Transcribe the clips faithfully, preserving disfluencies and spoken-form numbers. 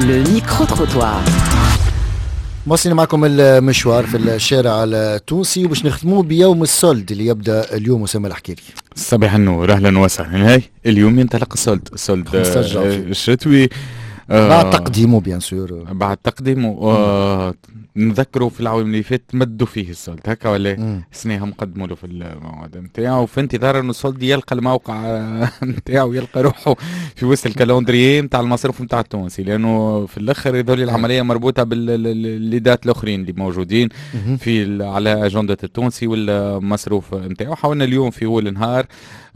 Le micro-trottoir. مواصلين معكم المشوار في الشارع التونسي، وباش نختموه بيوم ال solde اللي يبدا اليوم. اسامة الحكيري. صباح النور، اهلا وسهلا. هاي اليوم ينطلق ال solde، ال solde الشتوي. آه بعد تقديمه bien sûr. بعد تقديمه. آه نذكروا في العوام اللي فات مدوا فيه ال solde هكا ولا؟ السنة هم قدموا له في الموعد نتاعو، في انتظار انه ال solde يلقى الموقع نتاعو، يلقى روحه في وسط ال calendrier نتاع المصروف نتاع التونسي، لانه في الاخر يظل العملية مربوطة بال les dates الاخرين اللي موجودين في على اجندة التونسي والمصروف نتاعو. حاولنا اليوم في اول النهار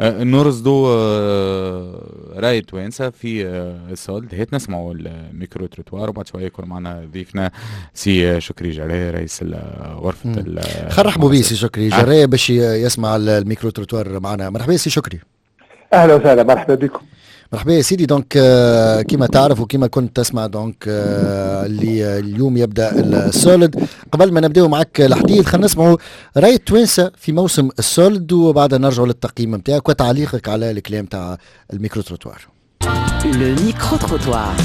آه، نرصدوا آه، راي توانسة في آه، ال solde. هات نسمعوا ال micro-trottoir، وبعد شوية يكون معنا ضيفنا سي شكري جرايه، رئيس غرفة. خلينا نرحبوا به سي شكري جرايه باش يسمع ال micro-trottoir معنا. مرحبا سي شكري. اهلا وسهلا، مرحبا بكم. مرحبا يا سيدي. donc كما تعرف وكما كنت تسمع، donc اللي اليوم يبدا ال solde. قبل ما نبداو معك الحديث، خلينا نسمعوا راي التوانسة في موسم ال solde، وبعدها نرجعوا للتقييم نتاعك وتعليقك على الكلام تاع ال micro-trottoir. Le micro-trottoir.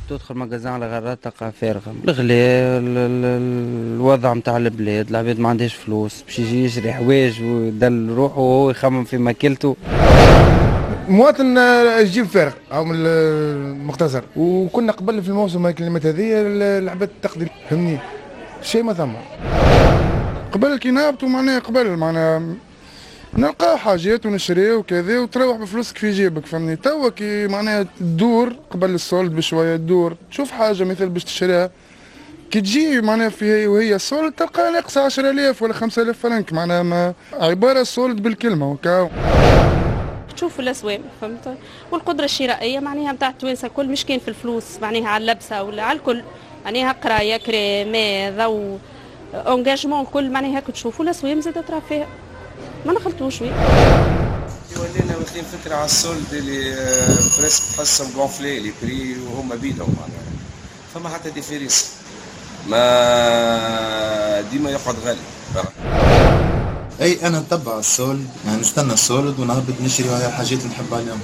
تدخل magasin على غرات تلقى فارغة، الغلاء، الوضع نتاع البلاد، العباد ما عندهاش فلوس باش يجي يشري حوايج ويدل روحه وهو يخمم في ماكلته. مواطن الجيب فارغ او من المختصر، وكنا قبل في الموسم الكلمات هذه العباد تقضي، فهمني، شيء ما ثم. قبل كي نهبطوا معناها قبل معناها نلقاو حاجات ونشريو وكذا وتروح بفلوسك في جيبك، فهمني. توا كي معناها تدور قبل ال solde بشويه، تدور تشوف حاجة مثل باش تشريها، كي تجي معناها في وهي ال solde تلقى ناقصه عشرة آلاف ولا خمسة آلاف فرنك، معناها ما عبارة solde بالكلمة وكا. تشوفوا الاسوام، فهمت، والقدرة الشرائية معناها نتاع التوانسة الكل، مش كان في الفلوس، معناها على اللبسه ولا على الكل، معناها قرايه، كرا، ماء، ضوء، engagement، كل. معناها هاك تشوفوا الاسوام زاد ترى فيها ما نخلطوش oui. ولينا واخدين فكرة على ال solde اللي presque تحسهم gonflés les prix وهما بيدهم، معناها فما حتى différence، ما ديما يقعد غالي. اي، انا نتبع ال solde، يعني نستنى ال solde ونهبط نشري الحاجات اللي نحب عليهم،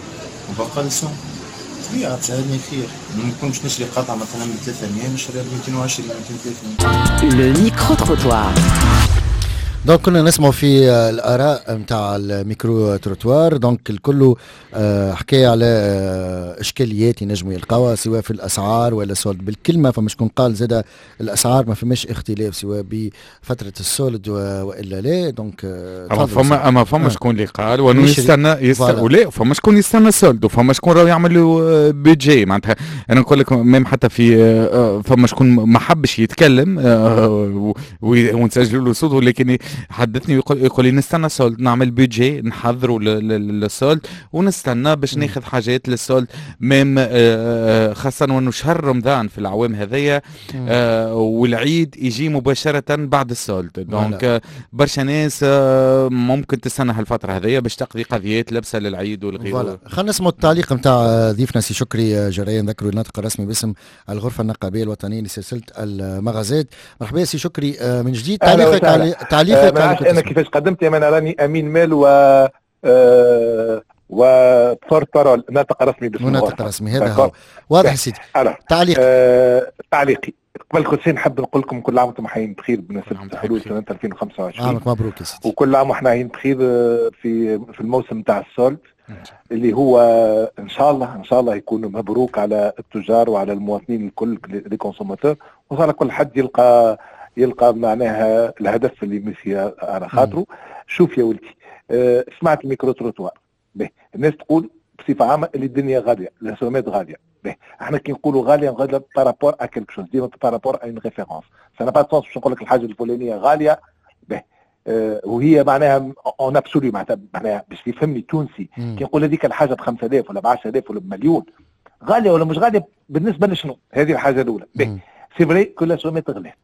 وبقى السوم طبيعة تساعدني خير. نكون باش نشري قطعة مثلا ب ثلاثمية نشريها ب ميتين وعشرين، ميتين وثلاثين. Le micro-trottoir. donc كنا نسمعوا في الاراء نتاع ال micro-trottoir، donc الكل آه، حكاية على آه، اشكاليات ينجموا يلقاوها سواء في الاسعار ولا solde بالكلمه. فما شكون قال زاد الاسعار ما فماش اختلاف سواء بفترة ال solde والا لا. donc آه، اما فما اما فما شكون اللي قال وانه يستنى يستنى ولا فما شكون يستنى ال solde، وفما شكون راهو يعمل له budget. معناتها انا نقول لك même حتى في فما شكون ما حبش يتكلم ونسجلوا له صوت، ولكن حدثني يقول يقول لي نستنى solde، نعمل budget، نحضروا لل solde ونستنى باش ناخذ حاجات لل solde même، آه، آه، خاصة وانه شهر رمضان في العوام هذيا آه، والعيد يجي مباشرة بعد ال solde، donc برشا ناس ممكن تستنى هالفترة هذيا باش تقضي قضيات لبسة للعيد والغيرة. خلينا نسمعوا التعليق نتاع ضيفنا سي شكري جرايه، نذكروا الناطق الرسمي باسم الغرفة النقابية الوطنية لسلسلة المغازات. مرحبا سي شكري من جديد، تعليقك على تعليقك. على انا كيفاش قدمت، انا راني امين مال و آه و porte-parole، ناطق رسمي باسم. ناطق رسمي، هذا هو، واضح سيدي. تعليق. آه تعليقي قبل كل شيء نحب نقول لكم كل عام وانتم حيين بخير بمناسبة حلول سنة ألفين وخمسة وعشرين. عامك مبروك يا سيدي. وكل عام واحنا حيين بخير في في الموسم تاع ال solde اللي هو ان شاء الله ان شاء الله يكون مبروك على التجار وعلى المواطنين الكل، les consommateurs، وان شاء الله كل حد يلقى يلقى معناها الهدف اللي مشي على خاطره. شوف يا ولدي، أه سمعت ال micro-trottoir. به، الناس تقول بصفة عامة اللي الدنيا غاليه، الاسومات غاليه. به، احنا كي نقولوا غاليه، غالية par rapport à quelque chose، ديما par rapport à une référence. ça n'a pas de sens باش نقول لك الحاجة الفلانية غاليه، به آه وهي معناها en absolu، معناتها معناها باش يفهمني التونسي، كي نقول هذيك الحاجة ب خمسة آلاف ولا ب عشرة آلاف ولا بمليون، غالية ولا مش غالية بالنسبة لشنو؟ هذه الحاجة الاولى. به، c'est vrai que الاسومات غلات،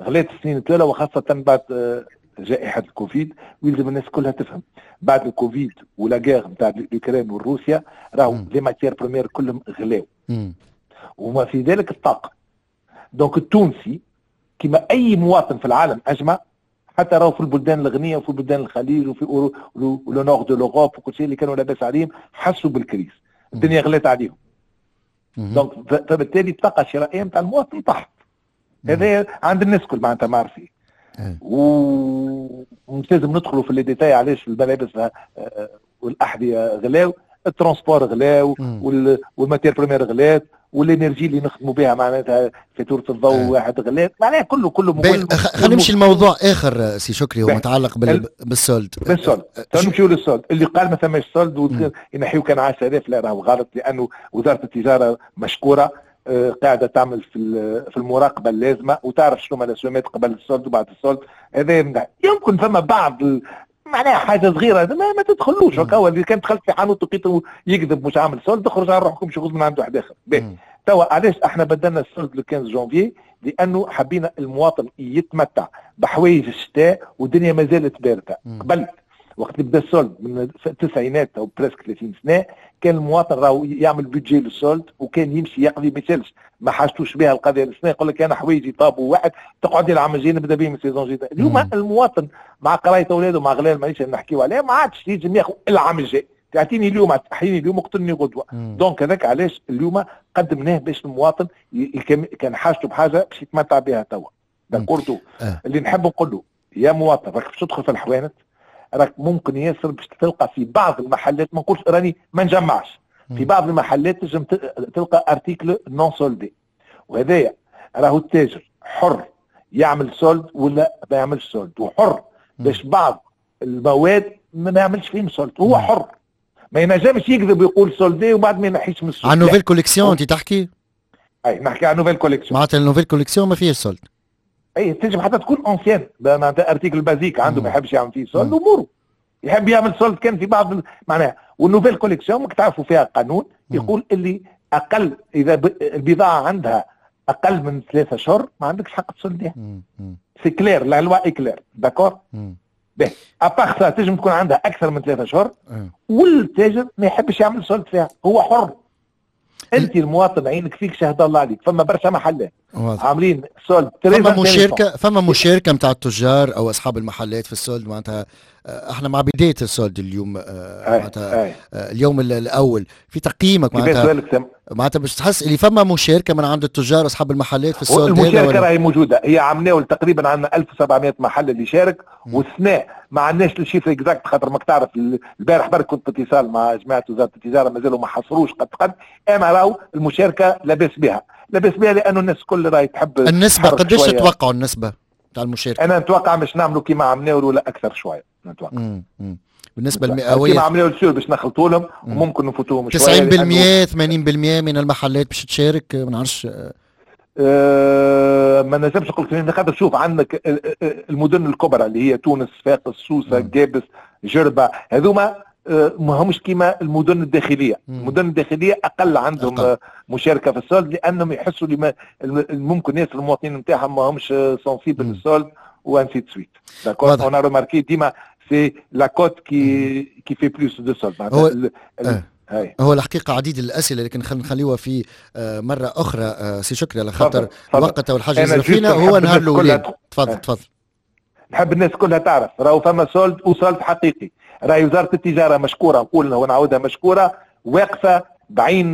غلات السنين الثلاثه، وخاصة بعد آه، جائحة الكوفيد. ويلزم الناس كلها تفهم، بعد الكوفيد و la guerre نتاع l'Ukraine وروسيا، راهو les matières premières كلهم غلاو، وما في ذلك الطاقه. donc التونسي كما اي مواطن في العالم اجمع، حتى راهو في البلدان الغنية وفي بلدان الخليج وفي le nord de l'Europe وكل شيء، اللي كانوا لاباس عليهم حسوا بال crise، الدنيا غلات عليهم. donc فبالتالي الطاقة الشرائية نتاع المواطن طاحت. هذا عند الناس الكل معناتها معرفين. ومش لازم ندخلوا في les détails علاش الملابس والاحذيه غلاو، ال transport غلاو، وال matières premières غلات، وال énergie اللي نخدموا بها معناتها فاتورة الضوء آه. واحد غلات، معناها كله كله. خلينا نمشي لموضوع اخر سي شكري هو متعلق بال... بال solde. بال solde نمشيو لل solde اللي قال ما ثماش solde وينحيو كان عشرة آلاف، لا راهو غلط، لانه وزارة التجارة مشكورة قاعدة تعمل في في المراقبة اللازمة وتعرف شنو هما الاسوامات قبل ال solde وبعد ال solde. هذا يمكن فما بعض معناها حاجة صغيرة ما, ما تدخلوش هكا، اللي كان دخلت في حانوت لقيته يكذب مش عامل solde تخرج على روحكم مش من عنده واحد اخر. توا علاش احنا بدلنا ال solde le خمسطاش جانفي؟ لانه حبينا المواطن يتمتع بحوايج الشتاء والدنيا ما زالت باردة. قبل وقت اللي بدا ال solde من التسعينات او presque ثلاثين سنة كان المواطن راهو يعمل budget لل solde وكان يمشي يقضي ما يسالش، ما حاجتوش بها القضية السنة، يقول لك انا حوايجي طابوا واحد تقعد العام الجاي نبدا بهم saison جديدة. اليوم المواطن مع قرايه اولاده مع غلاء المعيشة اللي نحكيو عليها ما عادش ينجم ياخذ العام الجاي، تعطيني اليوم تحييني اليوم اقتلني غدوه. donc هذاك علاش اليوم قدمناه باش المواطن كان حاجته بحاجة باش يتمتع بها توا. d'accord آه. اللي نحب نقول له يا مواطن راك باش تدخل في الحوانت راك ممكن ياسر باش تلقى في بعض المحلات، ما نقولش راني ما نجمعش، في بعض المحلات تنجم تلقى article non soldé، وهذايا راهو التاجر حر يعمل solde ولا ما يعملش solde، وحر باش بعض المواد ما يعملش فيهم solde، هو حر ما ينجمش يكذب ويقول soldé وبعد ما ينحيش من السوق. على nouvelle collection انت تحكي؟ اي نحكي على nouvelle collection، معناتها ال nouvelle collection ما فيهاش solde. اي تنجم حتى تكون ancienne معناتها article basique عنده ما يحبش يعمل فيه solde اموره، يحب يعمل solde كان في بعض معناها. وال nouvelle collection ماك تعرفوا فيها قانون يقول اللي اقل اذا البضاعة عندها اقل من ثلاثة اشهر ما عندكش حق تسولديها. c'est clair، la loi est claire، d'accord؟ باهي à part ça تنجم تكون عندها اكثر من ثلاثة اشهر والتاجر ما يحبش يعمل solde فيها، هو حر. انت المواطن عينك فيك شهد الله عليك، فما برشا محلات عاملين solde. فما مشاركة، فما مشاركة نتاع التجار او اصحاب المحلات في ال solde، معناتها احنا مع بداية ال solde اليوم، معناتها اليوم الاول في تقييمك معناتها معناتها باش تحس اللي فما مشاركة من عند التجار اصحاب المحلات في ال solde؟ المشاركة راهي موجودة، هي عملناو تقريبا عندنا ألف وسبعمية محل اللي شارك، والسنة ما عندناش ال chiffre exact خاطر ماك تعرف البارح برك كنت اتصال مع جماعة وزارة التجارة مازالوا ما حصروش قد قد، اما راهو المشاركة لاباس بها، لاباس بها لانه الناس الكل راهي تحب. النسبة قداش تتوقعوا النسبة تاع المشاركة؟ انا نتوقع مش نعملوا كيما عملناو ولا اكثر شوية، نتوقع. مم. بالنسبة المئويه كيما عملناو السور باش نخلطوا لهم وممكن نفوتوهم شوية. تسعين بالمية ثمانين بالمية من المحلات باش تشارك، ما نعرفش. أه ما نجمش نقول لك خاطر شوف عندك المدن الكبرى اللي هي تونس، صفاقس، سوسة، قابس، جربه، هذوما ما همش كيما المدن الداخلية. مم. المدن الداخلية اقل عندهم أقل. مشاركة في ال solde لانهم يحسوا لما ممكن ياسر المواطنين نتاعهم ما همش sensibles لل solde و ainsi de suite. d'accord، on a remarqué ديما c'est la côte qui qui fait plus de solde. هو آه. هو الحقيقة عديد الاسئلة لكن خلينا نخليوها في مرة اخرى سي شكري على خاطر الوقت والحاجة اللي فينا هو نهار الاولين. تفضل تفضل. نحب الناس كلها تعرف راهو فما solde و solde حقيقي، راهي وزارة التجارة مشكورة نقول ونعاودها مشكورة واقفة بعين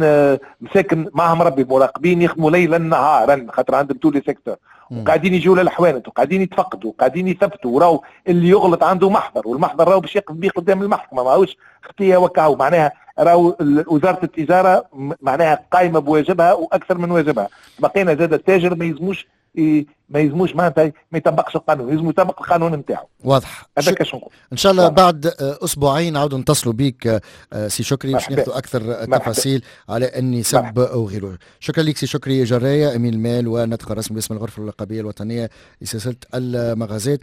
مساكن معهم ربي مراقبين يخدموا ليلا نهارا خاطر عندهم tous les secteurs، وقاعدين يجوا للحوانت وقاعدين يتفقدوا وقاعدين يثبتوا، وراو اللي يغلط عنده محضر والمحضر راهو باش يقف به قدام المحكمة ماهوش خطيه وكاو، معناها راهو وزارة التجارة معناها قايمة بواجبها واكثر من واجبها. بقينا زاد التاجر ما يلزموش ما يلزموش معناتها ما يطبقش القانون، يلزم يطبق القانون نتاعو. واضح. هذاك شنو نقول. ان شاء الله بعد اسبوعين نعاودوا نتصلوا بك سي شكري باش ناخذوا اكثر تفاصيل على النسب وغيره. شكرا لك سي شكري جرايه، امين المال وناطق الرسمي باسم الغرفة الرقابية الوطنية لسلسلة المغازات.